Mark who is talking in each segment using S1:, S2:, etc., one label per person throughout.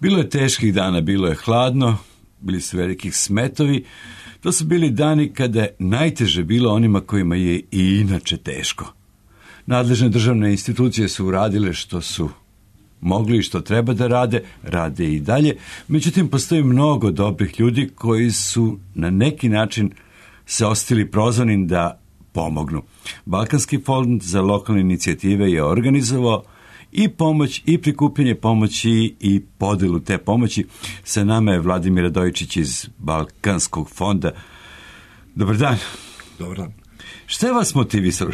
S1: Bilo je teških dana, bilo je hladno, bili su velikih smetovi. To su bili dani kada je najteže bilo onima kojima je i inače teško. Nadležne državne institucije su uradile što su mogli i što treba da rade i dalje. Međutim, postoji mnogo dobrih ljudi koji su na neki način se osjetili prozvanim da pomognu. Balkanski fond za lokalne inicijative je organizovao i pomoć, i prikupljanje pomoći i podelu te pomoći. Sa nama je Vladimir Radojičić iz Balkanskog fonda. Dobar dan.
S2: Dobar dan.
S1: Šta je vas motivisalo?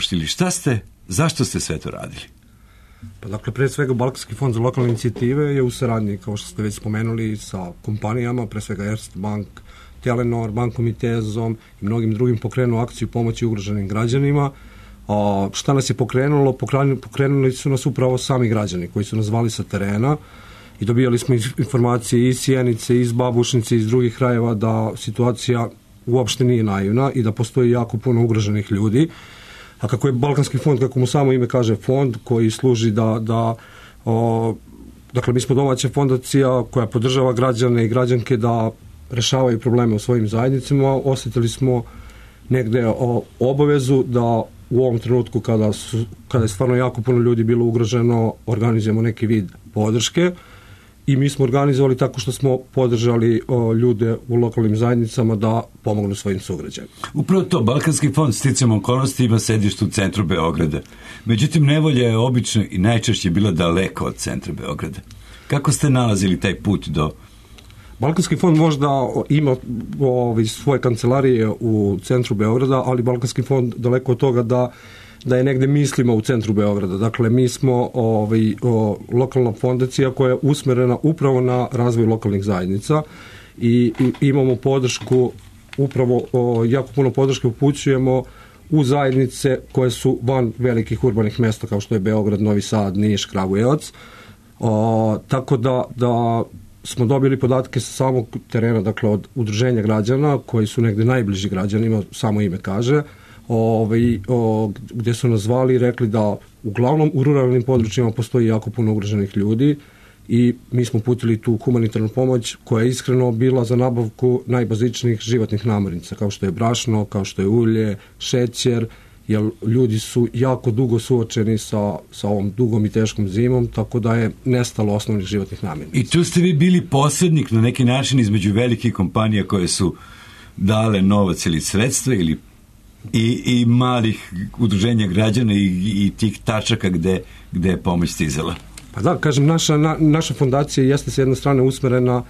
S1: Zašto ste sve to radili?
S2: Pa dakle, pre svega Balkanski fond za lokalne inicijative je u saradnji, kao što ste već spomenuli, sa kompanijama, pre svega Erste Bank, Telenor, Bankom i Tezom i mnogim drugim pokrenuo akciju pomoći ugroženim građanima. Šta nas je pokrenulo? Pokrenuli su nas upravo sami građani koji su nas zvali sa terena i dobijali smo informacije iz Sjenice, iz Babušnice, iz drugih krajeva da situacija uopšte nije naivna i da postoji jako puno ugroženih ljudi. A kako je Balkanski fond, kako mu samo ime kaže, fond koji služi dakle, mi smo domaća fondacija koja podržava građane i građanke da rešavaju probleme u svojim zajednicama. Osjetili smo negde obavezu da u ovom trenutku kada je stvarno jako puno ljudi bilo ugroženo, organizujemo neki vid podrške i mi smo organizovali tako što smo podržali ljude u lokalnim zajednicama da pomognu svojim sugrađanima.
S1: Upravo to, Balkanski fond sticajem okolnosti ima sedište u centru Beograda. Međutim, nevolja je obično i najčešće bila daleko od centra Beograda. Kako ste nalazili taj put do...
S2: Balkanski fond možda ima svoje kancelarije u centru Beograda, ali Balkanski fond daleko od toga da je negde mislimo u centru Beograda. Dakle, mi smo lokalna fondacija koja je usmerena upravo na razvoj lokalnih zajednica i imamo podršku, upravo jako puno podrške upućujemo u zajednice koje su van velikih urbanih mesta kao što je Beograd, Novi Sad, Niš, Kragujevac. Tako da smo dobili podatke sa samog terena, dakle od udruženja građana koji su negde najbliži građanima, samo ime kaže, gdje su nas zvali i rekli da uglavnom u ruralnim područjima postoji jako puno ugroženih ljudi i mi smo putili tu humanitarnu pomoć koja je iskreno bila za nabavku najbazičnijih životnih namirnica, kao što je brašno, kao što je ulje, šećer, jer ljudi su jako dugo suočeni sa ovom dugom i teškom zimom, tako da je nestalo osnovnih životnih namirnica.
S1: I tu ste vi bili posrednik na neki način između velikih kompanija koje su dale novac ili sredstva i malih udruženja građana i tih tačaka gde je pomoć stizala.
S2: Pa da, kažem, naša fondacija jeste s jedne strane usmerena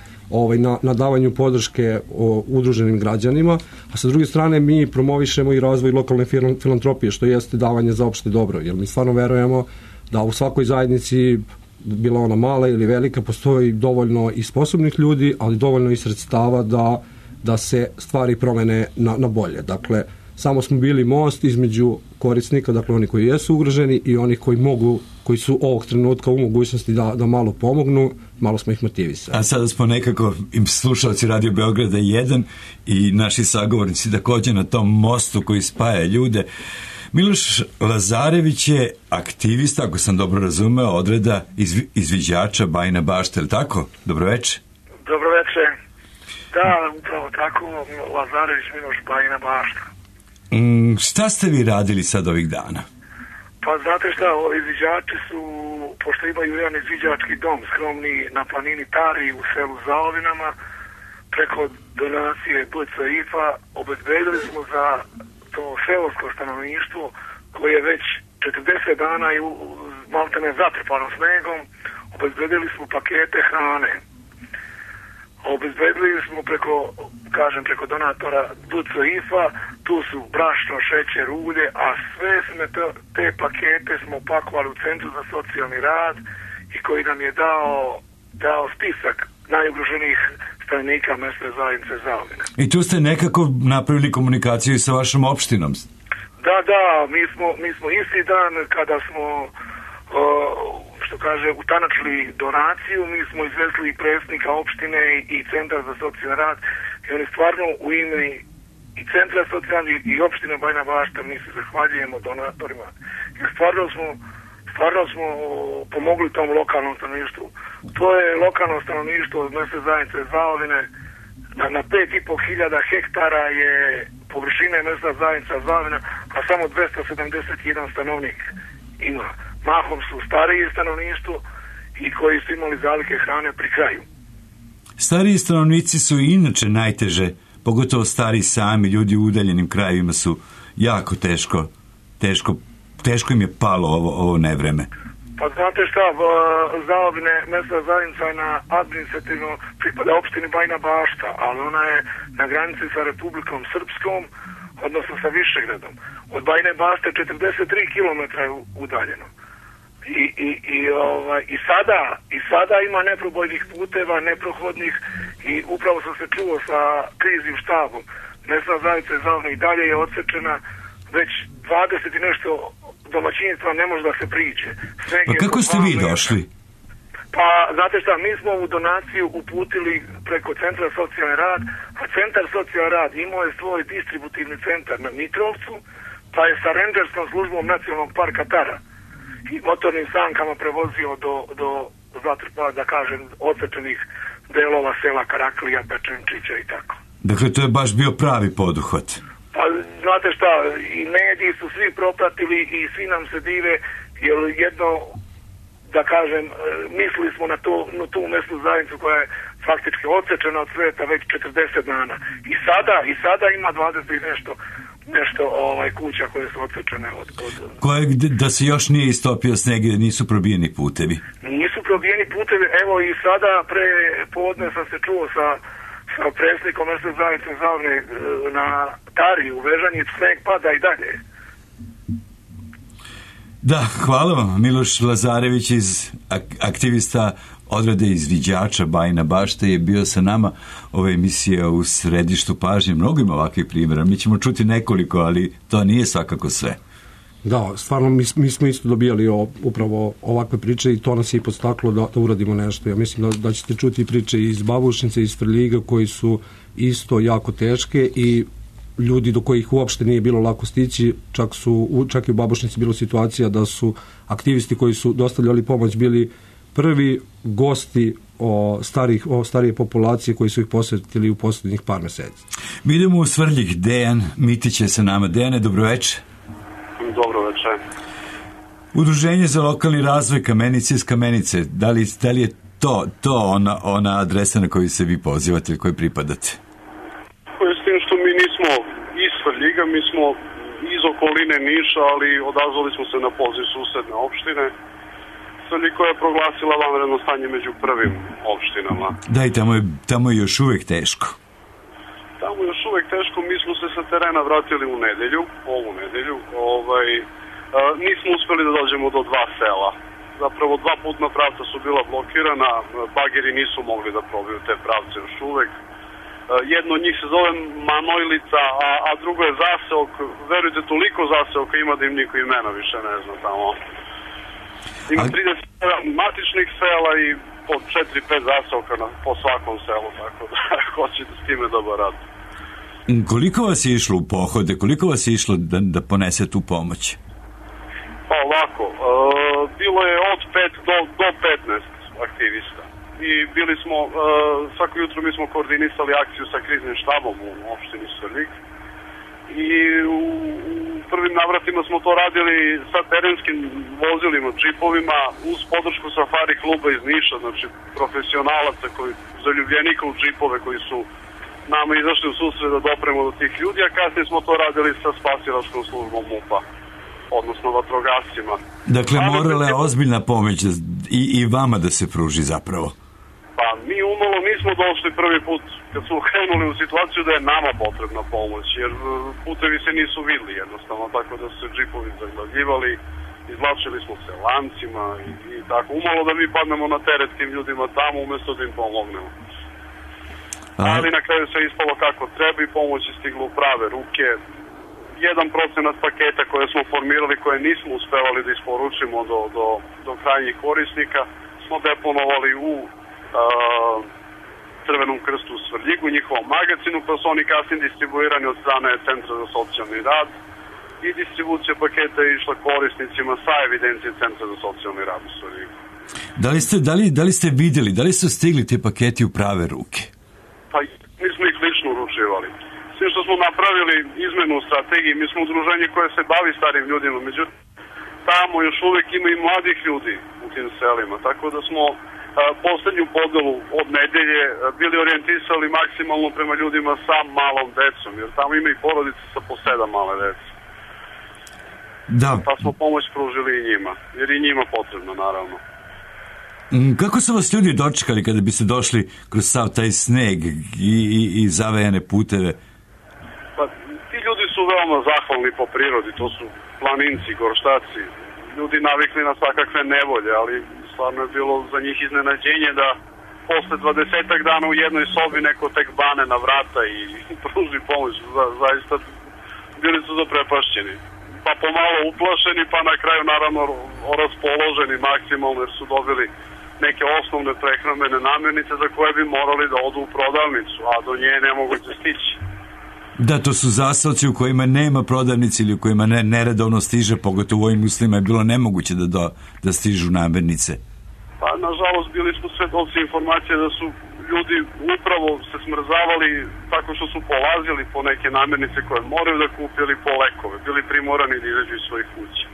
S2: na davanju podrške udruženim građanima, a sa druge strane mi promovišemo i razvoj lokalne filantropije, što jeste davanje za opšte dobro, jer mi stvarno verujemo da u svakoj zajednici, bila ona mala ili velika, postoji dovoljno i sposobnih ljudi, ali dovoljno i sredstava da se stvari promene na bolje. Dakle, samo smo bili most između korisnika, dakle oni koji jesu ugroženi i onih koji su ovog trenutka u mogućnosti da malo pomognu, malo smo ih motivisali.
S1: A sada smo nekako slušalci Radio Beograda 1 i naši sagovornici također na tom mostu koji spaja ljude. Miloš Lazarević je aktivista, ako sam dobro razumeo, odreda izviđača Bajina Bašta, je li tako? Dobroveče.
S3: Dobroveče. Da, upravo tako, Lazarević Miloš, Bajina Bašta.
S1: Šta ste vi radili sad ovih dana?
S3: Pa znate šta, ovi izviđači su, pošto imaju jedan izviđački dom skromni na planini Tari u selu Zaovinama, preko donacije BCIF-a obezbedili smo za to seosko stanovništvo koje je već 40 dana i maltene zatrpano snegom, obezbedili smo pakete hrane. Obezbedili smo preko donatora BCIF-a, tu su brašno, šećer, ulje, a sve smo te pakete smo pakovali u Centru za socijalni rad i koji nam je dao spisak najugroženijih stanovnika mesne zajednice Zaovine.
S1: I tu ste nekako napravili komunikaciju sa vašom opštinom?
S3: Da, mi smo isti dan kada smo utanačili donaciju, mi smo izvezli i predsjednika opštine i Centra za socijalni rad i oni stvarno u ime i Centra socijalni i opštine Bajina Bašta mi se zahvaljujemo donatorima. Jer stvarno smo stvarno smo pomogli tom lokalnom stanovništvu. To je lokalno stanovništvo od mesne zajednice Zaovine. Na 5.500 hektara je površine mesna zajednica Zaovina, a samo 271 stanovnik ima. Mahom su stariji stanovništvo i koji su imali zalihe hrane pri kraju.
S1: Stariji stanovnici su i inače najteže, pogotovo stari sami ljudi u udaljenim krajevima su jako teško im je palo ovo nevreme.
S3: Pa znate šta, Zaovine mesna zajednica je na administrativno pripada opštini Bajina Bašta, ali ona je na granici sa Republikom Srpskom, odnosno sa Višegradom. Od Bajine Bašte 43 km je udaljeno. I sada ima neprobojnih puteva, neprohodnih, i upravo sam se čuo sa kriznim štabom. Mesna zajednica Zaovine i dalje je odsečena, već 20 i nešto domaćinstva ne može da se priđe.
S1: Pa kako ste vi došli?
S3: Pa, znate šta, mi smo ovu donaciju uputili preko Centra socijalni rad, a Centar socijalni rad imao je svoj distributivni centar na Mitrovcu, pa je sa renđerskom službom Nacionalnog parka Tara i motornim sankama prevozio do zatrpa, da kažem, odsečenih delova sela Karaklija, Pečenčića i tako.
S1: Dakle, to je baš bio pravi poduhvat.
S3: Pa, znate šta, i mediji su svi propratili i svi nam se dive, jer jedno, da kažem, mislili smo na tu mesnu zajednicu koja je faktički odsečena od sveta već 40 dana. I sada ima 20 i nešto kuća koje su odsečene od...
S1: Da se još nije istopio sneg i nisu probijeni putevi?
S3: Nisu probijeni putevi, evo i sada pre podne sam se čuo sa predsjednikom mesne zajednice Zaovine na Tari u Vežanjic, sneg pada i dalje.
S1: Da, hvala vam. Miloš Lazarević, aktivista odrede izviđača Bajina Bašta, je bio sa nama. Ova emisija u središtu pažnje. Mnogo ima ovakvih primjera. Mi ćemo čuti nekoliko, ali to nije svakako sve.
S2: Da, stvarno mi smo isto dobijali upravo ovakve priče i to nas je i podstaklo da uradimo nešto. Ja mislim da ćete čuti priče iz Babušnice, iz Svrljiga, koji su isto jako teške i ljudi do kojih uopšte nije bilo lako stići, čak i u Babušnici bilo situacija da su aktivisti koji su dostavljali pomoć bili prvi gosti starije populacije koji su ih posjetili u posljednjih par meseci.
S1: Mi idemo u Svrljig. Dejan Mitić je sa nama. Dejane, dobroveče.
S4: Dobro večer.
S1: Udruženje za lokalni razvoj Kamenice iz Kamenice. Da li je to ona adresa na koju se vi pozivate ili kojoj pripadate?
S4: S tim što mi nismo iz Svrljiga, mi smo iz okoline Niša, ali odazvali smo se na poziv susedne opštine. Svrljig koja je proglasila vanredno stanje među prvim opštinama.
S1: Da, i tamo je još uvijek teško.
S4: Tamo je još uvijek teško, mi smo se sa terena vratili ovu nedelju. Nismo uspjeli da dođemo do 2 sela. Zapravo 2 putna pravca su bila blokirana, bageri nisu mogli da probiju te pravce još uvijek. Jedno od njih se zove Manojlica, a drugo je zaseok. Verujte, toliko zaseoka ima da im niko imena više ne zna tamo. Ima 37 matičnih sela i po 4-5 zaseoka po svakom selu, tako da hoćete s time dobar rad.
S1: Koliko vas je išlo u pohode? Koliko vas je išlo da ponese tu pomoć?
S4: Pa ovako, bilo je od 5 do 15 aktivista. I bili smo, svako jutro mi smo koordinisali akciju sa kriznim štabom u opštini Svrljig. I u prvim navratima smo to radili sa terenskim vozilima, džipovima, uz podršku safari kluba iz Niša, znači profesionalaca, zaljubljenika u džipove koji su nama izašli u susret da dopremo do tih ljudi, a kasnije smo to radili sa spasilačkom službom MUP-a, odnosno vatrogascima.
S1: Dakle, morala je ozbiljna pomoć i vama da se pruži zapravo.
S4: Pa mi umalo nismo došli prvi put kad smo krenuli u situaciju da je nama potrebna pomoć, jer putevi se nisu vidli jednostavno, tako da su se džipovi zaglavljivali, izvlačili smo se lancima i tako. Umalo da mi padnemo na teret tim ljudima tamo umjesto da im pomognemo. Ali na kraju se ispalo kako treba i pomoć je stigla u prave ruke. 1% paketa koje smo formirali, koje nismo uspevali da isporučimo do krajnjih korisnika, smo deponovali u Crvenom krstu u Svrljigu, njihovom magazinu, pa su oni kasnije distribuirani od strane Centra za socijalni rad. i distribucija paketa je išla korisnicima sa evidencije Centra za socijalni rad u Svrljigu.
S1: Da li ste vidjeli, da li su stigli te paketi u prave ruke?
S4: Pa mi smo ih lično uručivali. Sve što smo napravili izmenu u strategiji, mi smo udruženje koje se bavi starim ljudima, međutim tamo još uvijek ima i mladih ljudi u tim selima, tako da smo poslednju podelu od nedelje bili orijentisali maksimalno prema ljudima sa malom decom, jer tamo ima i porodice sa po 7 male dece.
S1: Da.
S4: Pa smo pomoć pružili i njima, jer i njima potrebno, naravno.
S1: Kako su vas ljudi dočekali kada biste došli kroz sav taj sneg i zavejane puteve?
S4: Pa, ti ljudi su veoma zahvalni po prirodi, to su planinci, gorštaci, ljudi navikli na svakakve nevolje, ali stvarno je bilo za njih iznenađenje da posle 20 dana u jednoj sobi neko tek bane na vrata i pruži pomoć. Zaista bili su zaprepašćeni. Pa pomalo uplašeni, pa na kraju naravno raspoloženi maksimalno jer su dobili neke osnovne prehrambene namirnice za koje bi morali da odu u prodavnicu, a do nje ne moguće stići.
S1: Da, to su zaselci u kojima nema prodavnice ili u kojima neredovno stiže, pogotovo u ovim uslovima je bilo nemoguće da stižu namirnice.
S4: Pa, nažalost, bili smo svedoci informacije da su ljudi upravo se smrzavali tako što su polazili po neke namirnice koje moraju da kupe ili po lekove, bili primorani da izađu iz svojih kuća.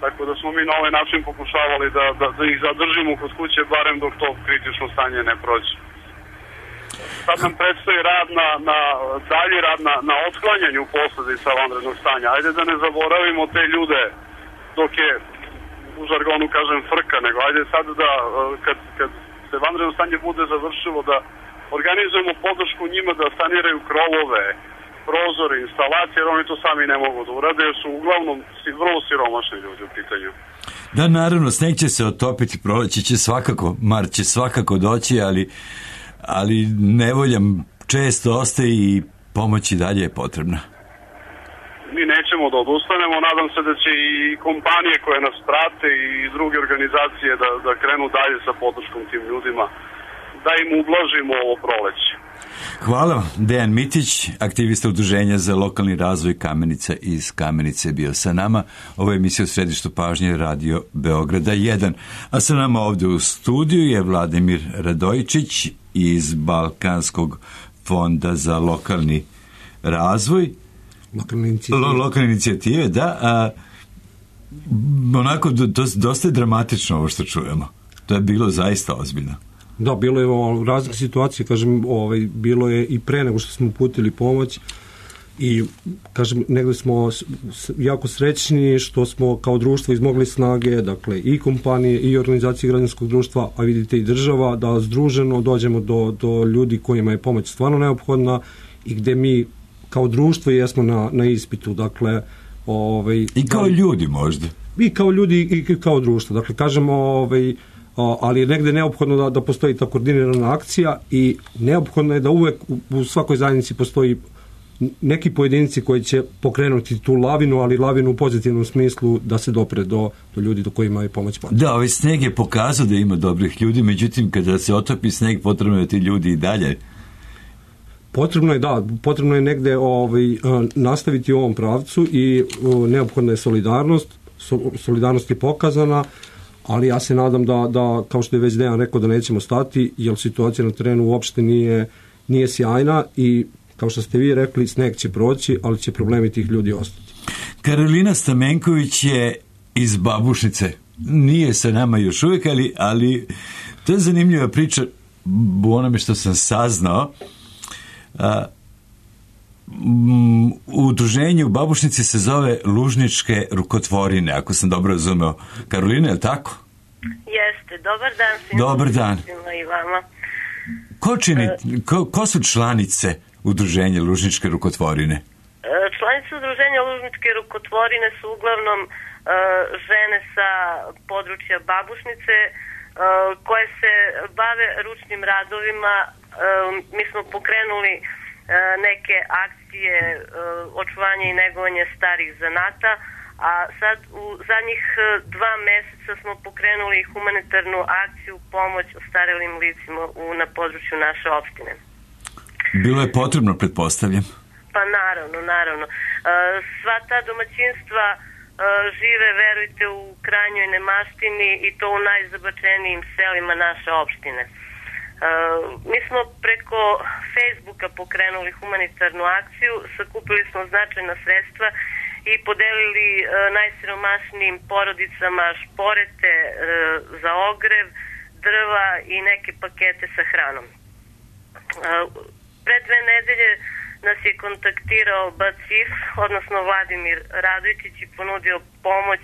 S4: Tako da smo mi na ovaj način pokušavali da ih zadržimo kod kuće, barem dok to kritično stanje ne prođe. Sad nam predstoji rad dalji rad na otklanjanju posledica vanrednog stanja. Ajde da ne zaboravimo te ljude dok je, u žargonu kažem, frka, nego ajde sad da kad se vanredno stanje bude završilo da organizujemo podršku njima da saniraju krovove, prozore, instalacije, jer oni to sami ne mogu da urade, jer su uglavnom vrlo siromašni ljudi u pitanju.
S1: Da, naravno, sneg će se otopiti, proleće će svakako, mar će svakako doći, ali nevolja često ostaje i pomoć i dalje je potrebna.
S4: Mi nećemo da odustanemo, nadam se da će i kompanije koje nas prate i druge organizacije da krenu dalje sa podrškom tim ljudima, da im ublažimo ovo proleće.
S1: Hvala. Dejan Mitić, aktivista Udruženja za lokalni razvoj Kamenica iz Kamenice, bio sa nama. Ovo je emisija u središtu pažnje Radio Beograda 1. A sa nama ovdje u studiju je Vladimir Radojičić iz Balkanskog fonda za lokalni razvoj. Lokalne inicijative, da. Onako, dosta je dramatično ovo što čujemo. To je bilo zaista ozbiljno.
S2: Da, bilo je razne situacije, kažem, bilo je i pre nego što smo uputili pomoć i, kažem, negdje smo jako srećni što smo kao društvo izmogli snage, dakle, i kompanije i organizacije građanskog društva, a vidite i država, da združeno dođemo do ljudi kojima je pomoć stvarno neophodna i gde mi kao društvo jesmo na ispitu, dakle,
S1: i kao ljudi možda.
S2: I kao ljudi i kao društvo, dakle, kažem, ali je negde neophodno da postoji ta koordinirana akcija i neophodno je da uvek u svakoj zajednici postoji neki pojedinci koji će pokrenuti tu lavinu, ali lavinu u pozitivnom smislu da se dopre do ljudi do kojima je pomoć potrebna.
S1: Da, ovaj sneg je pokazao da ima dobrih ljudi, međutim kada se otopi sneg potrebno je ti ljudi i dalje.
S2: Potrebno je negde nastaviti u ovom pravcu i neophodna je solidarnost je pokazana, ali ja se nadam da kao što je već Dejan rekao, da nećemo stati, jer situacija na terenu uopšte nije sjajna i kao što ste vi rekli, sneg će proći, ali će problemi tih ljudi ostati.
S1: Karolina Stamenković je iz Babušnice. Nije sa nama još uvijek, ali to je zanimljiva priča u onome što sam saznao. Udruženje u Babušnici se zove Lužničke rukotvorine, ako sam dobro razumeo. Karolina, je li tako?
S5: Jeste, dobar dan svima.
S1: Dobar dan.
S5: I vama.
S1: Ko su članice Udruženja Lužničke rukotvorine?
S5: Članice Udruženja Lužničke rukotvorine su uglavnom žene sa područja Babušnice koje se bave ručnim radovima. Mi smo pokrenuli neke akcije očuvanja i negovanja starih zanata, a sad u zadnjih 2 meseca smo pokrenuli humanitarnu akciju pomoć ostarelim licima na području naše opštine.
S1: Bilo je potrebno, pretpostavljam.
S5: Pa naravno. Sva ta domaćinstva žive, verujte, u krajnjoj nemaštini i to u najzabačenijim selima naše opštine. Mi smo preko Facebooka pokrenuli humanitarnu akciju, sakupili smo značajna sredstva i podelili najsiromašnijim porodicama šporete za ogrev, drva i neke pakete sa hranom. Pre 2 nedelje nas je kontaktirao BACIF, odnosno Vladimir Radojčić, i ponudio pomoć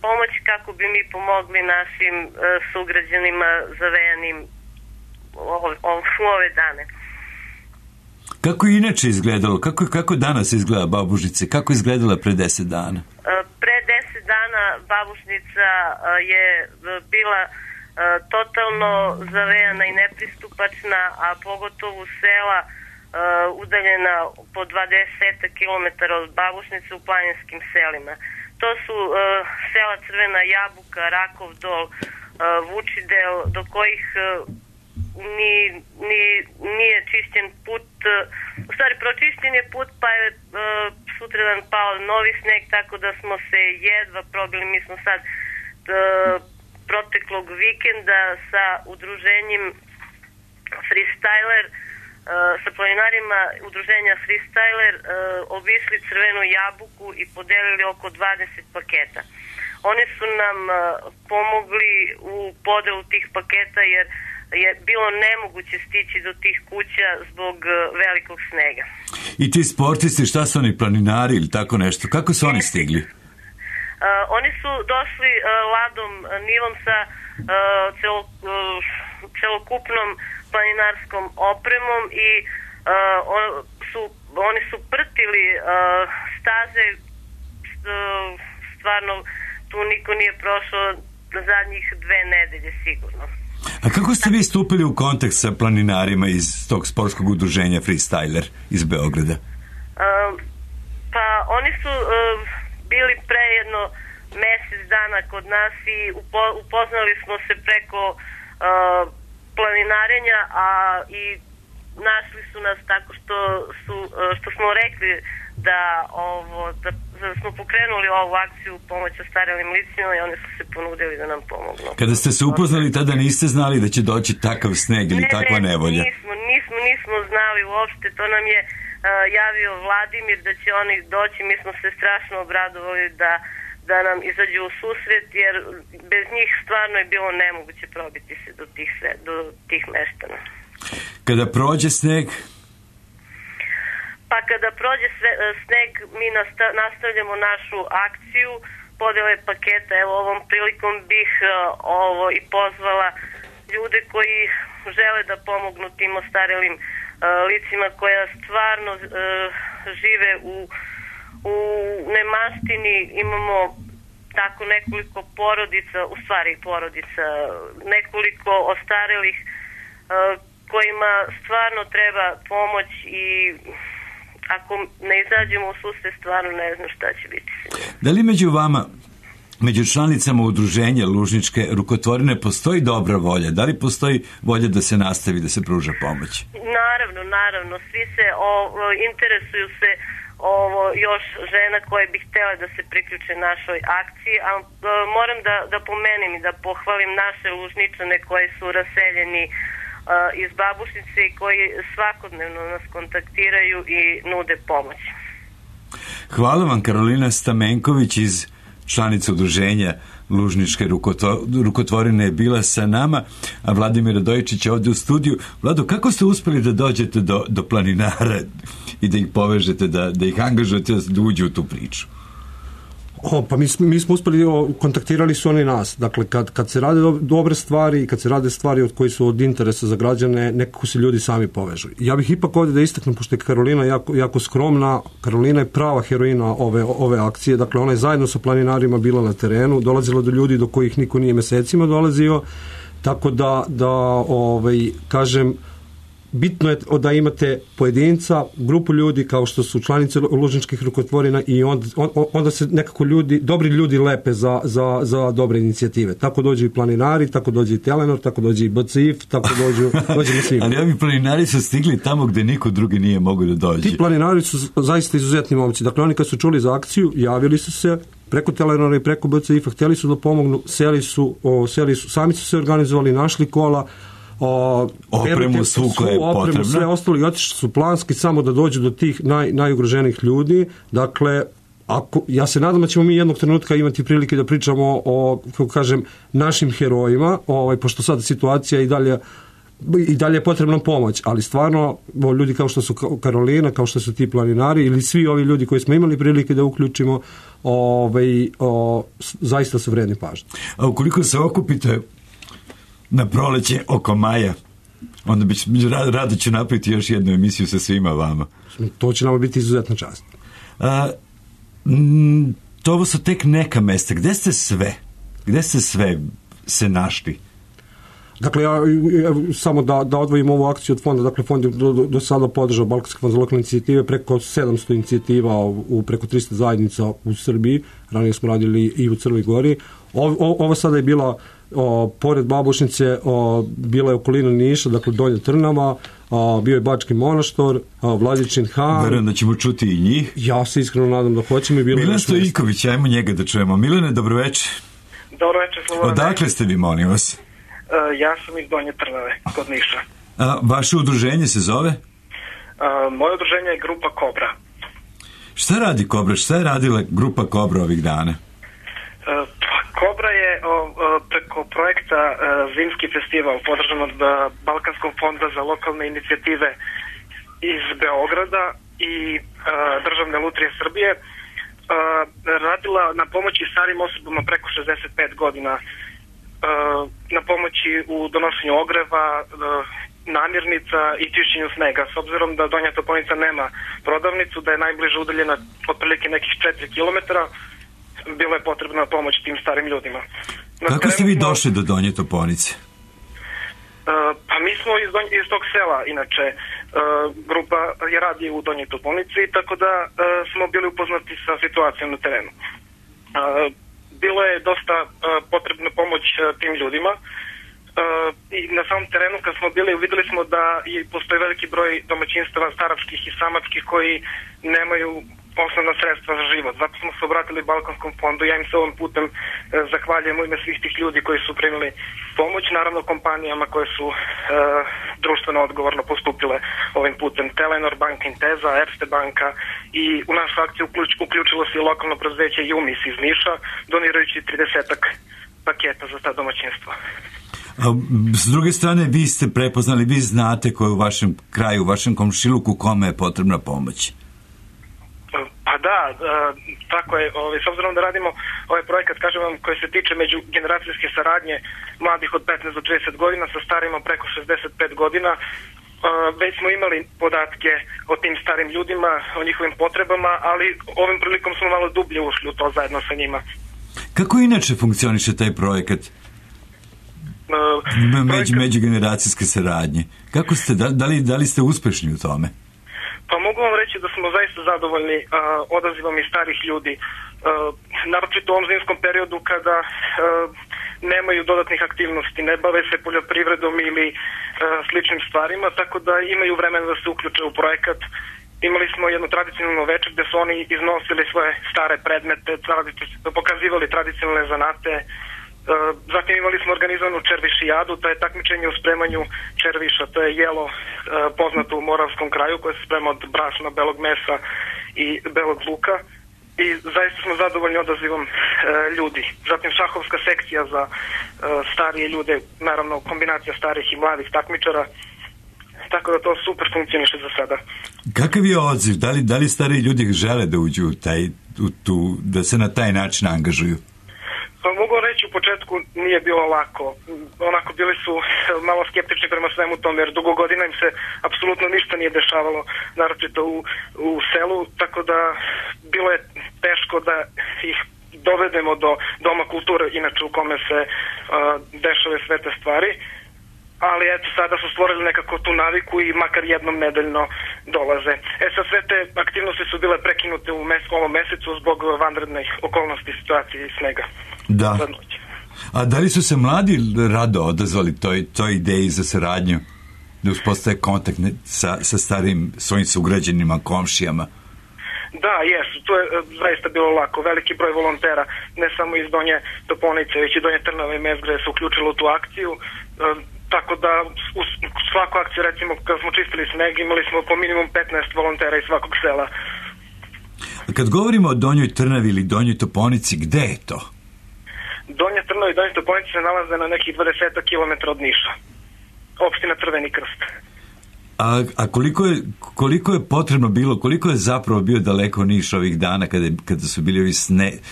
S5: pomoć kako bi mi pomogli našim sugrađanima zavejanim u ove dane.
S1: Kako je inače izgledalo? Kako danas izgleda Babušnice? Kako je izgledala pre 10 dana?
S5: Pre 10 dana Babušnica je bila totalno zavejana i nepristupačna, a pogotovo sela udaljena po 20 km od Babušnice u planinskim selima. To su sela Crvena Jabuka, Rakov Dol, Vučidel, do kojih nije čišćen put, u stvari pročišćen je put, pa je sutradan pao novi sneg, tako da smo se jedva probili. Mi smo sad proteklog vikenda sa udruženjem Freestyler, sa planinarima udruženja Freestyler obišli Crvenu Jabuku i podelili oko 20 paketa. Oni su nam pomogli u podelu tih paketa jer je bilo nemoguće stići do tih kuća zbog velikog snega.
S1: I ti sportisti, šta su oni, planinari ili tako nešto? Kako su oni stigli?
S5: Oni su došli ladom, nilom sa celokupnom planinarskom opremom i oni su prtili staze, stvarno tu niko nije prošao zadnjih 2 nedelje sigurno.
S1: A kako ste vi stupili u kontakt sa planinarima iz tog sportskog udruženja Freestyler iz Beograda?
S5: Pa oni su bili pre jedno mesec dana kod nas i upoznali smo se preko planinarenja, a i našli su nas tako što smo rekli da smo pokrenuli ovu akciju pomoć ostarelim licima i oni su se ponudili da nam pomognu.
S1: Kada ste se upoznali, tada niste znali da će doći takav sneg ili takva nevolja?
S5: Nismo znali uopšte, to nam je javio Vladimir da će oni doći, mi smo se strašno obradovali da nam izađu u susret, jer bez njih stvarno je bilo nemoguće probiti se do tih meštana.
S1: Kada prođe sneg?
S5: Pa kada prođe sneg, mi nastavljamo našu akciju podele paketa. Evo, ovom prilikom bih i pozvala ljude koji žele da pomognu tim ostarelim licima koja stvarno žive u nemaštini. Imamo tako nekoliko porodica, nekoliko ostarelih kojima stvarno treba pomoć i ako ne izađemo u susret, stvarno ne znam šta će biti.
S1: Da li među vama, među članicama udruženja Lužničke rukotvorine postoji dobra volja? Da li postoji volja da se nastavi, da se pruža pomoć?
S5: Naravno. Svi se interesuju se još žena koje bi htjele da se priključe našoj akciji, a moram da pomenem i da pohvalim naše Lužničane koji su raseljeni iz Babušnice i koji svakodnevno nas kontaktiraju i nude pomoć.
S1: Hvala vam, Karolina Stamenković iz članica udruženja Lužničke rukotvorine je bila sa nama, a Vladimir Radojčić je ovdje u studiju. Vlado, kako ste uspjeli da dođete do planinara i da ih povežete, da ih angažujete da uđu u tu priču?
S2: Pa mi smo uspjeli, kontaktirali su oni nas. Dakle, kad se rade dobre stvari i kad se rade stvari od koji su od interesa za građane, nekako se ljudi sami povežu. Ja bih ipak ovdje da istaknem, pošto je Karolina jako skromna, Karolina je prava heroina ove akcije. Dakle, ona je zajedno sa planinarima bila na terenu, dolazila do ljudi do kojih niko nije mesecima dolazio, tako da kažem, bitno je da imate pojedinca, grupu ljudi kao što su članice lužničkih rukotvorina i onda se nekako dobri ljudi lepe za dobre inicijative. Tako dođu i planinari, tako dođe i Telenor, tako dođe i BCIF, tako dođemo svi.
S1: Ali ovi planinari su stigli tamo gde niko drugi nije mogao da dođe.
S2: Ti planinari su zaista izuzetni momci. Dakle, oni kad su čuli za akciju, javili su se preko Telenora i preko BCIF-a, htjeli su da pomognu, seli su, sami su se organizovali, našli kola,
S1: opremu, svu koja je potrebna,
S2: sve ostalo i otišli su planski samo da dođu do tih najugroženijih ljudi. Dakle, ja se nadam da ćemo mi jednog trenutka imati prilike da pričamo o, kako kažem, našim herojima, pošto sad situacija i dalje je potrebna pomoć, ali stvarno ljudi kao što su Karolina, kao što su ti planinari ili svi ovi ljudi koji smo imali prilike da uključimo, zaista su vredni pažnje.
S1: A ukoliko se okupite na proleće oko maja, onda rado ću napraviti još jednu emisiju sa svima vama.
S2: To će nam biti izuzetna čast.
S1: To su tek neka mesta. Gde ste sve se našli?
S2: Dakle, ja samo da odvojim ovu akciju od fonda. Dakle, fond je do sada podržao Balkanski fond za lokalne inicijative preko 700 inicijativa u preko 300 zajednica u Srbiji. Ranije smo radili i u Crnoj Gori. Ovo sada je bila pored Babušnice, bila je okolina Niša, dakle Donja Trnava, bio je Bački Monaštor, Vladičin Han.
S1: Verujem da ćemo čuti i njih.
S2: Ja se iskreno nadam da hoćemo.
S1: Milan Stojiković, ajmo njega da čujemo. Milane, dobroveče.
S6: Dobroveče, Slobodane.
S1: Odakle ste vi, molim vas?
S6: Ja sam iz Donje Trnave, kod Niša.
S1: Vaše udruženje se zove?
S6: Moje udruženje je Grupa Kobra.
S1: Šta radi Kobra? Šta je radila Grupa Kobra ovih dana?
S6: Kobra je preko projekta Zimski festival podržan od Balkanskog fonda za lokalne inicijative iz Beograda i Državne lutrije Srbije radila na pomoći starim osobama preko 65 godina, na pomoći u donošenju ogreva, namirnica i čišćenju snega. S obzirom da Donja Toponica nema prodavnicu, da je najbliže udaljena otprilike nekih 4 kilometara, bilo je potrebna pomoć tim starim ljudima.
S1: Kako ste vi došli do Donje Toponice?
S6: Pa mi smo iz tog sela, inače grupa je radi u Donjoj Toponici, tako da smo bili upoznati sa situacijom na terenu. Bilo je dosta potrebna pomoć tim ljudima i na samom terenu kad smo bili videli smo da postoji veliki broj domaćinstava staračkih i samačkih koji nemaju osnovna sredstva za život. Zato smo se obratili Balkanskom fondu. Ja im se ovom putem zahvaljujem u ime svih tih ljudi koji su primili pomoć, naravno kompanijama koje su društveno odgovorno postupile ovim putem. Telenor banka, Inteza, Erste banka i u našu akciju uključilo se i lokalno preduzeće Jumis iz Niša, donirajući 30-ak paketa za ta domaćinstva.
S1: S druge strane, vi ste prepoznali, vi znate ko je u vašem kraju, u vašem komšiluku, kome je potrebna pomoć.
S6: Pa da, tako je. S obzirom da radimo ovaj projekat, kažem vam, koji se tiče međugeneracijske saradnje mladih od 15 do 30 godina sa starima preko 65 godina, već smo imali podatke o tim starim ljudima, o njihovim potrebama, ali ovim prilikom smo malo dublje ušli u to zajedno sa njima.
S1: Kako inače funkcioniše taj projekat? Međugeneracijske saradnje. Kako ste, da li ste uspešni u tome?
S6: Pa mogu vam reći da smo zaista zadovoljni odazivom i starih ljudi. Naročito u ovom zimskom periodu kada nemaju dodatnih aktivnosti, ne bave se poljoprivredom ili sličnim stvarima, tako da imaju vremena da se uključe u projekat. Imali smo jednu tradicionalnu večer gde su oni iznosili svoje stare predmete, pokazivali tradicionalne zanate. Zatim imali smo organizovanu červišijadu, to je takmičenje u spremanju červiša, to je jelo poznato u Moravskom kraju koje se sprema od brašna, belog mesa i belog luka i zaista smo zadovoljni odazivom ljudi. Zatim šahovska sekcija za starije ljude, naravno kombinacija starih i mladih takmičara, tako da to super funkcioniše za sada.
S1: Kakav je odziv? Da li stariji ljudi žele da uđu da se na taj način angažuju?
S6: Pa mogu reći, u početku nije bilo lako. Onako bili su malo skeptični prema svemu tome, jer dugo godina im se apsolutno ništa nije dešavalo, naročito u selu, tako da bilo je teško da ih dovedemo do Doma kulture, inače u kome se dešave sve te stvari. ali eto sada su stvorili nekako tu naviku i makar jednom nedeljno dolaze. Sad sve te aktivnosti su bile prekinute u ovom mesecu zbog vanrednih okolnosti situacije i snega.
S1: Da. A da li su se mladi rado odazvali toj ideji za saradnju? Da uspostaje kontakt sa starim svojim sugrađanima, komšijama?
S6: Da, jesu. To je zaista bilo lako. Veliki broj volontera, ne samo iz Donje Toponice, već i Donje Trnave i Mezgre se uključilo u tu akciju. Tako da u svaku akciju, recimo, kada smo čistili sneg, imali smo po minimum 15 volontera iz svakog sela.
S1: Kad govorimo o Donjoj Trnavi ili Donjoj Toponici, gde je to?
S6: Donja Trnava i Donja Toponica se nalaze na nekih 20 km od Niša. Opština Crveni Krst.
S1: A koliko je potrebno bilo, koliko je zapravo bio daleko Niš ovih dana kada su bili ovi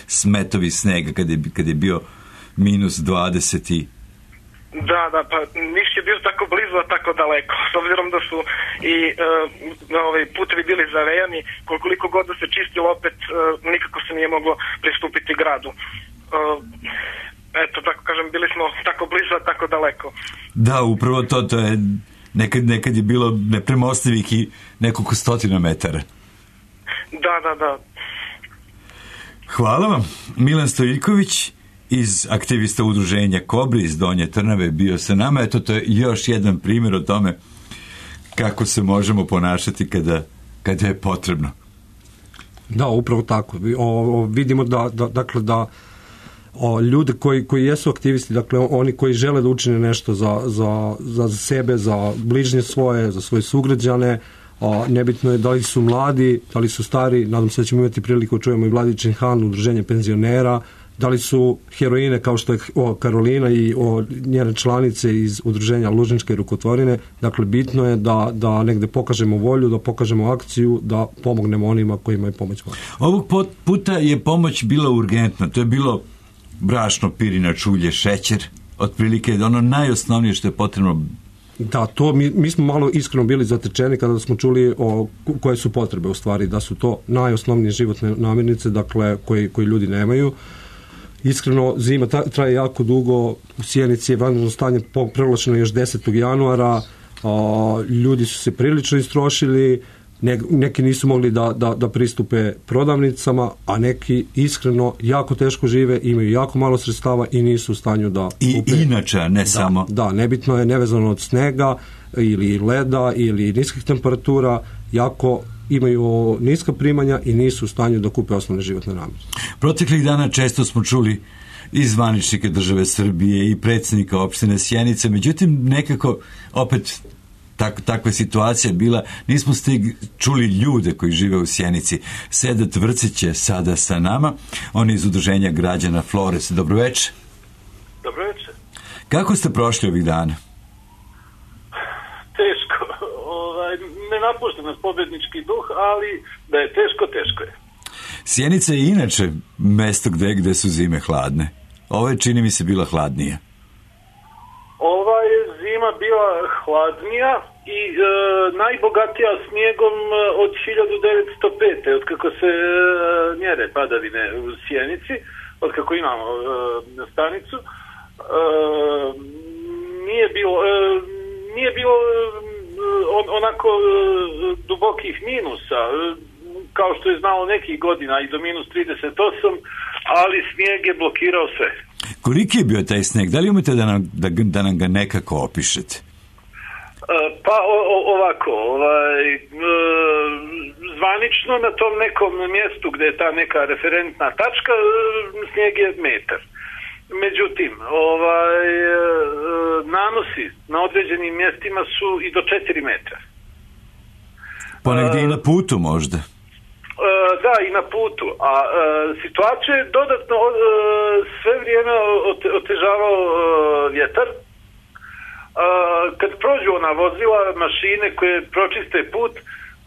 S1: smetovi snega, kad je bio -20?
S6: Da, pa Niš je bio tako blizu, a tako daleko. S obzirom da su i putevi bili zavejani, koliko god da se čistilo, opet nikako se nije moglo pristupiti gradu. Eto, tako kažem, bili smo tako blizu, a tako daleko.
S1: Da, upravo to je, nekad je bilo nepremostivih i nekoliko stotina metara.
S6: Da.
S1: Hvala vam. Milan Stojiljković iz aktivista udruženja Kobri iz Donje Trnave bio sa nama. Eto, to je još jedan primjer o tome kako se možemo ponašati kada je potrebno.
S2: Da, upravo tako. Vidimo da ljudi koji jesu aktivisti, dakle oni koji žele da učine nešto za sebe, za bližnje svoje, za svoje sugrađane, nebitno je da li su mladi, da li su stari, nadam se da ćemo imati priliku čujemo i Vladičin Han, udruženje penzionera, da li su heroine kao što je Karolina i njene članice iz udruženja Lužničke rukotvorine. Dakle, bitno je da negde pokažemo volju, da pokažemo akciju, da pomognemo onima kojima je pomoć potrebna.
S1: Ovog puta je pomoć bila urgentna. To je bilo brašno, pirinač, ulje, šećer, otprilike ono najosnovnije što je potrebno.
S2: Da, to mi smo malo iskreno bili zatečeni kada smo čuli koje su potrebe u stvari, da su to najosnovnije životne namirnice, dakle koji ljudi nemaju. Iskreno, zima traje jako dugo, u Sjenici je vanredno stanje proglašeno još 10. januara, ljudi su se prilično istrošili, neki nisu mogli da pristupe prodavnicama, a neki iskreno jako teško žive, imaju jako malo sredstava i nisu u stanju da kupe.
S1: I inače, ne samo.
S2: Da, nebitno je, nevezano od snega ili leda ili niskih temperatura, jako imaju niska primanja i nisu u stanju da kupe osnovne životne namirnice.
S1: Proteklih dana često smo čuli i zvaničnike države Srbije i predsjednika opštine Sjenice, međutim nekako opet takva situacija bila, nismo čuli ljude koji žive u Sjenici. Sedat Vrcić je sada sa nama, on je iz udruženja građana Flores. Dobroveče.
S7: Dobroveče.
S1: Kako ste prošli ovih dana?
S7: Teško. Ne napušta nas pobednički duh, ali da je teško je.
S1: Sjenica je inače mesto gde su zime hladne. Ovo je, čini mi se, bila hladnija.
S7: Ova je zima bila hladnija i najbogatija snijegom od 1905. Otkako se mjere padavine u Sjenici, otkako imamo stanicu, nije bilo onako dubokih minusa, kao što je znalo nekih godina i do -38, ali snijeg je blokirao sve.
S1: Koliki je bio taj snijeg? Da li umete da nam ga nekako opišete?
S7: Pa ovako, zvanično na tom nekom mjestu gdje je ta neka referentna tačka, snijeg je metar. Međutim, nanosi na određenim mjestima su i do 4 metra.
S1: Ponegdje i na putu možda?
S7: Da, i na putu. A situacija je dodatno sve vrijeme otežavao vjetar. Kad prođu ona vozila, mašine koje pročiste put,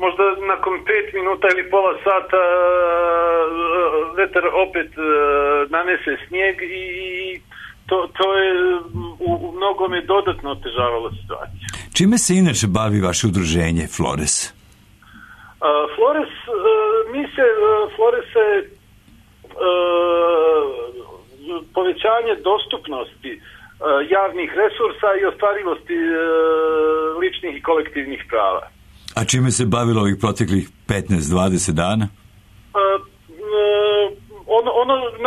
S7: možda nakon 5 minuta ili pola sata vetar opet nanese snijeg i to je u mnogome dodatno otežavalo situaciju.
S1: Čime se inače bavi vaše udruženje Flores?
S7: Flores je povećanje dostupnosti javnih resursa i ostvarivosti ličnih i kolektivnih prava.
S1: A čime se bavilo ovih proteklih 15-20 dana?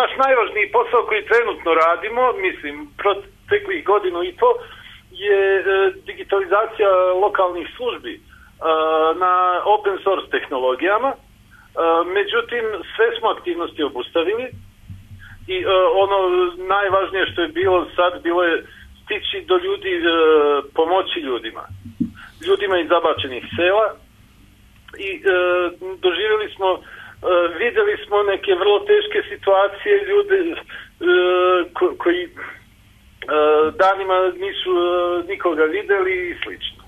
S7: Naš najvažniji posao koji trenutno radimo, mislim, proteklih godinu i to, je digitalizacija lokalnih službi na open source tehnologijama. Međutim, sve smo aktivnosti obustavili i ono najvažnije što je bilo sad, bilo je stići do ljudi, pomoći ljudima iz zabačenih sela i vidjeli smo neke vrlo teške situacije, ljude koji danima nisu nikoga vidjeli i slično.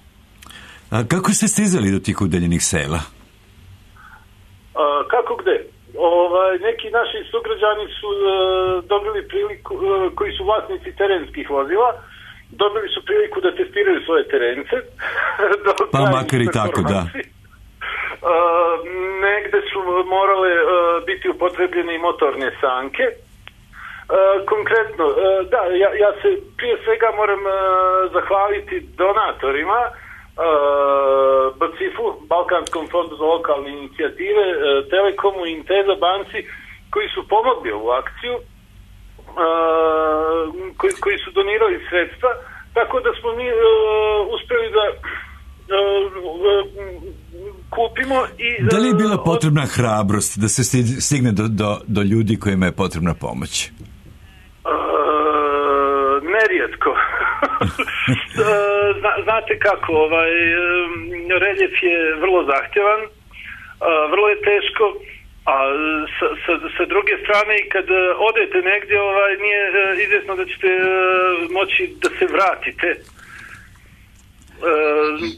S1: A kako ste stizali do tih udaljenih sela?
S7: Kako gde? Neki naši sugrađani su dobili priliku, koji su vlasnici terenskih vozila, dobili su priliku da testiraju svoje terence.
S1: Pa makar i tako, da.
S7: Negde su morale biti upotrebljene i motorne sanke. Konkretno, da, ja se prije svega moram zahvaliti donatorima, BCIF-u, Balkanskom fondu za lokalne inicijative, Telekomu i Inteza banci, koji su pomogli ovu akciju, koji su donirali sredstva, tako da smo mi uspjeli da kupimo i...
S1: Da li je bila potrebna hrabrost da se stigne do ljudi kojima je potrebna pomoć?
S7: Nerijetko. Znate kako, reljef je vrlo zahtjevan, vrlo je teško, a sa druge strane i kad odete negdje nije izvjesno da ćete moći da se vratite.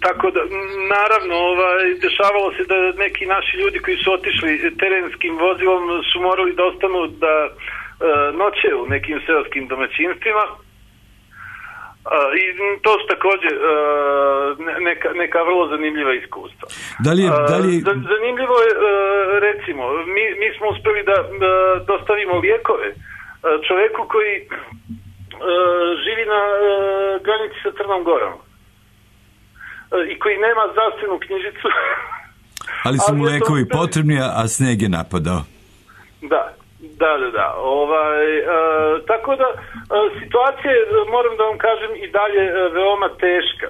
S7: Tako da, naravno, dešavalo se da neki naši ljudi koji su otišli terenskim vozilom su morali da ostanu da noće u nekim seoskim domaćinstvima. I to su također neka vrlo zanimljiva iskustva. Zanimljivo je, recimo, mi smo uspjeli da dostavimo lijekove čovjeku koji živi na granici sa Crnom Gorom i koji nema zdravstvenu knjižicu.
S1: Ali su mu lijekovi potrebni, a sneg je napadao.
S7: Da. Tako da situacija je, moram da vam kažem, i dalje veoma teška.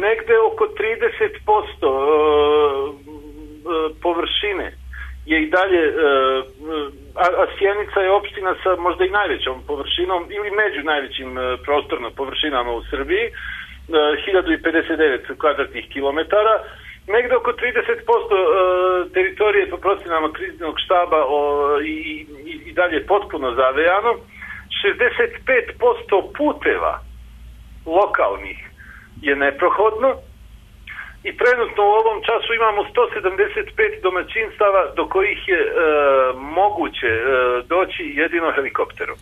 S7: Negde oko 30% površine je i dalje, a Sjenica je opština sa možda i najvećom površinom ili među najvećim prostorno površinama u Srbiji, 1059 kvadratnih kilometara. Negde oko 30% teritorije po procenama kriznog štaba i dalje potpuno zavejano. 65% puteva lokalnih je neprohodno i trenutno u ovom času imamo 175 domaćinstava do kojih je moguće doći jedino helikopterom.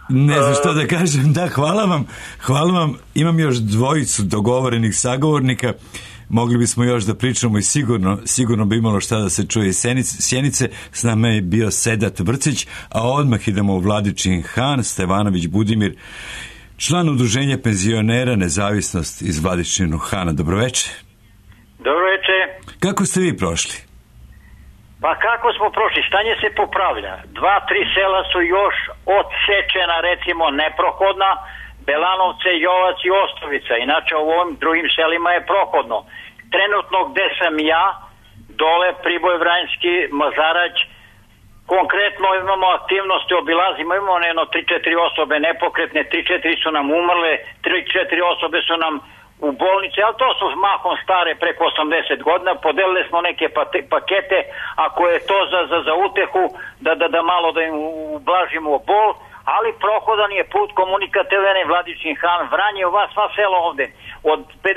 S1: Ne znam što da kažem, da, hvala vam, imam još dvojicu dogovorenih sagovornika, mogli bismo još da pričamo i sigurno bi imalo šta da se čuje iz Sjenice. S nama je bio Sedat Vrcić, a odmah idemo u Vladičin Han, Stevanović Budimir, član udruženja penzionera Nezavisnost iz Vladičinu Hana. Dobroveče.
S8: Dobroveče.
S1: Kako ste vi prošli?
S8: Pa kako smo prošli? Stanje se popravlja. 2-3 sela su još odsečena, recimo neprohodna, Belanovce, Jovac i Ostovica. Inače u ovim drugim selima je prohodno. Trenutno gde sam ja, dole Priboj, Vranjski, Mazarać, konkretno imamo aktivnosti, obilazimo, imamo jedno 3-4 osobe nepokretne, 3-4 su nam umrle, 3-4 osobe su nam u bolnici, ali to su mahom stare preko 80 godina, podelili smo neke pakete, ako je to za utehu, da malo da im ublažimo bol, ali prohodan je put komunikativne Vladičin Han, Vranje, sva sela ovde. Od 53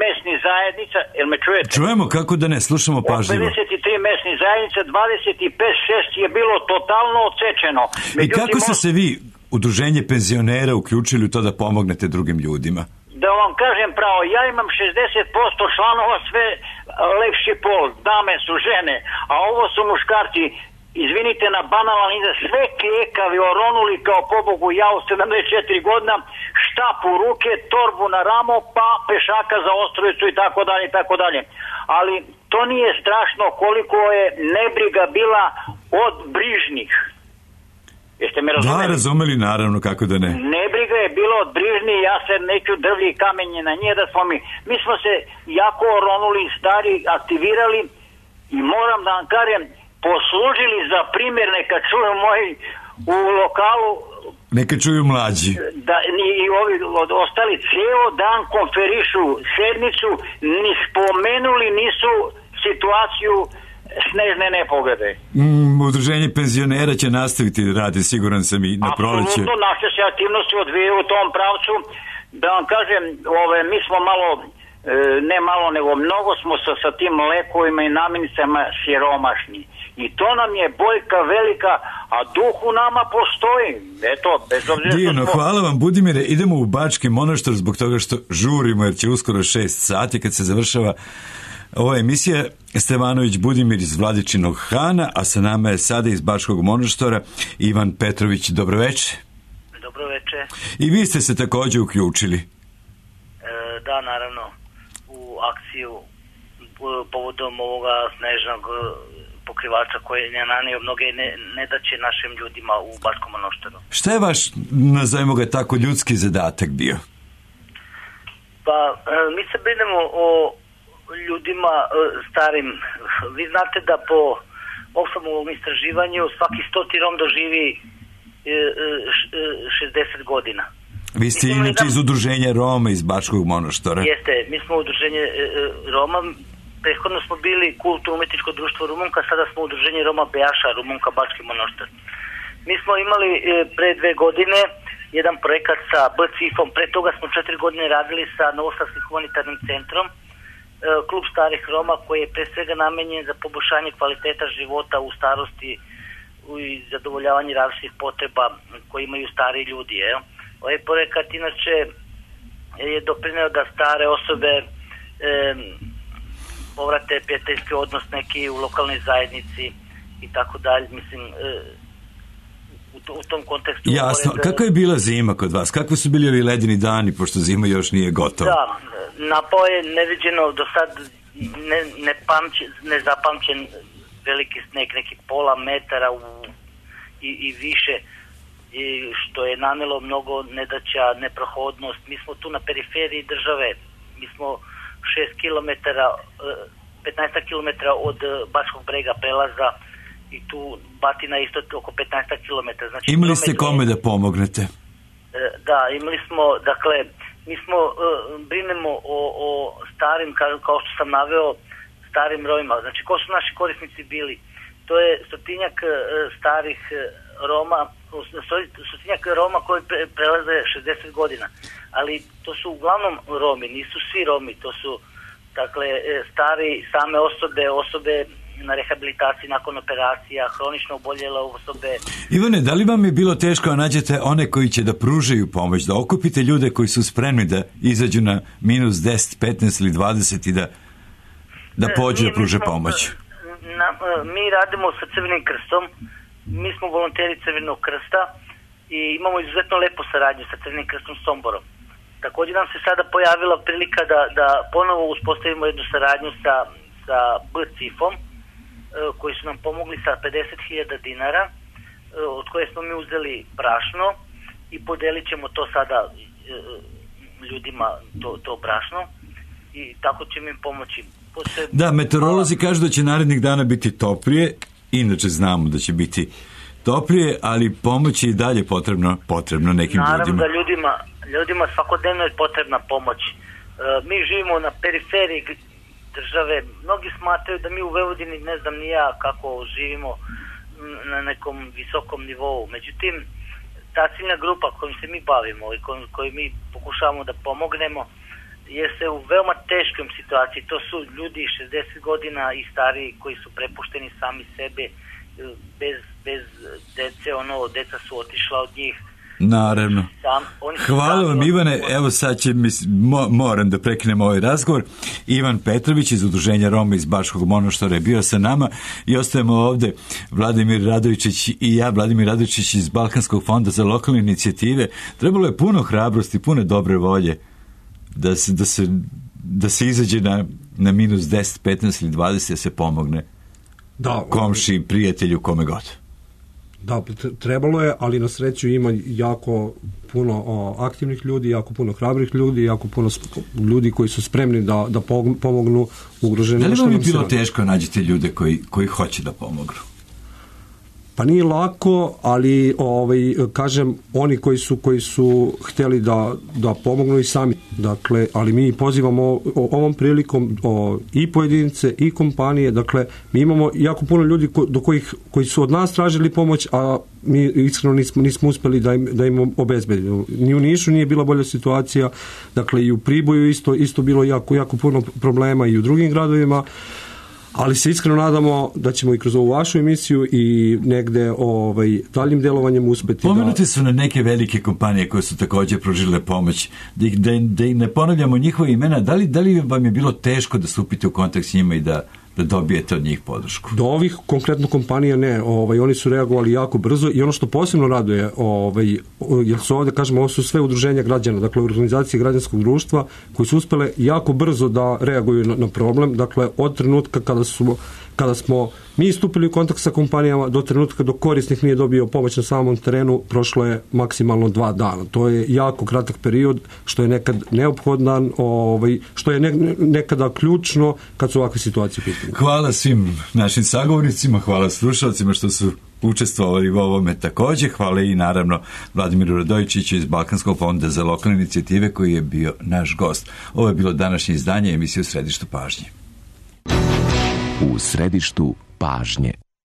S8: mesnih zajednica, jel me čujete?
S1: Čujemo, kako da ne, slušamo pažljivo.
S8: Od 53 mesnih zajednica, 25-6 je bilo totalno odsečeno.
S1: I kako ste se vi, udruženje penzionera, uključili u to da pomognete drugim ljudima?
S8: Da vam kažem pravo, ja imam 60% članova, sve lepši pol, dame su žene, a ovo su muškarci. izvinite na banalan izraz, sve klijekavi oronuli kao pobogu ja u 74 godina, štap u ruke, torbu na ramo, pa pešaka za Ostrovicu i tako dalje i tako dalje. Ali to nije strašno koliko je nebriga bila od brižnih. Jeste me razumeli?
S1: Da, razumeli, naravno, kako da ne.
S8: Nebriga je bilo od brižnih, ja se neću drvlji i kamenje na nje da smo mi smo se jako oronuli, stari, aktivirali i moram da vam kažem, poslužili za primjer, neka čuju moji u lokalu,
S1: neka čuju mlađi.
S8: Da, i ovi ostali ceo dan konferišu sednicu, ni spomenuli nisu situaciju snežne nepogode.
S1: Udruženje penzionera će nastaviti da radi, siguran sam, i na proleće.
S8: Apsolutno, naše se aktivnosti odvijaju u tom pravcu. Da vam kažem, mi smo malo, ne malo, nego mnogo smo sa tim lekovima i namirnicama siromašni. I to nam je boljka velika, a duh u nama postoji. Eto, bez obzira.
S1: Divno, hvala vam, Budimire. Idemo u Bački Monoštor zbog toga što žurimo, jer će uskoro 6 sati kad se završava ova emisija. Stevanović Budimir iz Vladičinog Hana, a sa nama je sada iz Bačkog Monoštora Ivan Petrović. Dobroveče.
S9: Dobroveče.
S1: I vi ste se također uključili.
S9: Da, naravno, u akciju povodom ovoga snežnog pokrivača koji je nanio mnoge nedaće našim ljudima u Bačkom Monoštoru.
S1: Šta je vaš, nazovimo ga tako, ljudski zadatak bio?
S9: Pa, mi se brinemo o ljudima starim. Vi znate da po Oxfamovom istraživanju svaki 100 Rom doživi 60 godina.
S1: Vi ste inače iz udruženja Roma iz Bačkog Monoštora.
S9: Jeste, mi smo udruženje Roma. Prethodno smo bili kulturno-umetničko društvo Rumunka, sada smo udruženje Roma Bejaša, Rumunka, Bački Monoštor. Mi smo imali pre 2 godine jedan projekat sa BCIF-om, pre toga smo 4 godine radili sa Novosadskim humanitarnim centrom, klub starih Roma koji je pre svega namenjen za poboljšanje kvaliteta života u starosti i zadovoljavanje različitih potreba koje imaju stari ljudi. Ovaj projekat inače je doprineo da stare osobe povrate prijateljski odnos neki u lokalnoj zajednici i tako dalje. Mislim, u tom kontekstu...
S1: Jasno. Kako je bila zima kod vas? Kakvi su bili ovi ledeni dani, pošto zima još nije gotova?
S9: Da, napao je neviđeno do sad nezapamćen veliki sneg, nekih pola metara i više, što je nanelo mnogo nedaća, neprohodnost. Mi smo tu na periferiji države, mi smo 6 km, 15 km od Bačkog brega prelaza i tu Batina isto oko 15 km. Znači,
S1: imali ste kome da pomognete?
S9: Da, imali smo, dakle, mi smo brinemo o starim, kao što sam naveo, starim Romima. Znači, ko su naši korisnici bili? To je 100-tinjak starih Roma, 100-tinjak Roma koji prelaze 60 godina. Ali to su uglavnom Romi, nisu svi Romi, to su, dakle, stari same osobe na rehabilitaciji nakon operacija, hronično oboljele osobe.
S1: Ivane, da li vam je bilo teško da nađete one koji će da pružaju pomoć, da okupite ljude koji su spremni da izađu na minus 10, 15 ili 20 i da pođu da pruže pomoć?
S9: Mi radimo sa Crvenim krstom, mi smo volonteri Crvenog krsta i imamo izuzetno lepu saradnju sa Crvenim krstom Somborom. Također nam se sada pojavila prilika da ponovo uspostavimo jednu saradnju sa BCIF-om, koji su nam pomogli sa 50.000 dinara, od koje smo mi uzeli brašno i podelit ćemo to sada ljudima, to brašno, i tako ćemo im pomoći.
S1: Da, meteorolozi kažu da će narednih dana biti toplije, inače znamo da će biti toplije, ali pomoć je i dalje potrebno nekim ljudima.
S9: Naravno da ljudima svakodnevno je potrebna pomoć. Mi živimo na periferiji države, mnogi smatraju da mi u Vojvodini, ne znam ni ja kako živimo na nekom visokom nivou, međutim ta ciljna grupa kojom se mi bavimo i koju mi pokušavamo da pomognemo jeste u veoma teškom situaciji. To su ljudi 60 godina i stariji koji su prepušteni sami sebe, bez dece, deca su otišla od njih.
S1: Naravno. Hvala vam, Ivane. Evo sad će, moram da prekinem ovaj razgovor. Ivan Petrović iz Udruženja Roma iz Bačkog Monoštora je bio sa nama i ostajemo ovde Vladimir Radovičić i ja, Vladimir Radovičić iz Balkanskog fonda za lokalne inicijative. Trebalo je puno hrabrosti, puno dobre volje da se izađe na minus 10, 15 ili 20 da se pomogne komši, prijatelju, kome god.
S2: Da, trebalo je, ali na sreću ima jako puno aktivnih ljudi, jako puno hrabrih ljudi, jako puno ljudi koji su spremni da pomognu ugroženim.
S1: Da li vam je bilo teško nađete ljude koji hoće da pomognu?
S2: Pa nije lako, ali kažem, oni koji su hteli da pomognu i sami. Dakle, ali mi pozivamo ovom prilikom i pojedince i kompanije. Dakle, mi imamo jako puno ljudi koji su od nas tražili pomoć, a mi iskreno nismo uspeli da im obezbedimo. Ni u Nišu nije bila bolja situacija. Dakle, i u Priboju isto bilo jako puno problema i u drugim gradovima. Ali se iskreno nadamo da ćemo i kroz ovu vašu emisiju i negde daljim delovanjem uspeti.
S1: Pomenuti su na neke velike kompanije koje su također pružile pomoć. Da ne ponavljamo njihove imena, da li vam je bilo teško da stupite u kontakt s njima i da dobijete od njih podršku?
S2: Do ovih konkretno kompanija ne. Oni su reagovali jako brzo i ono što posebno raduje, jer su ovdje, kažemo, ovo su sve udruženja građana, dakle organizacije građanskog društva koji su uspele jako brzo da reaguju na problem. Dakle, od trenutka kada smo mi stupili u kontakt sa kompanijama do trenutka dok korisnik nije dobio pomoć na samom terenu, prošlo je maksimalno 2 dana. To je jako kratak period, što je nekad neophodan, što je nekada ključno kad su ovakve situacije pitanje.
S1: Hvala svim našim sagovornicima, hvala slušalcima što su učestvovali u ovome također. Hvala i naravno Vladimiru Radovičiću iz Balkanskog fonda za lokalne inicijative koji je bio naš gost. Ovo je bilo današnje izdanje emisije U središtu pažnje.
S10: U središtu pažnje.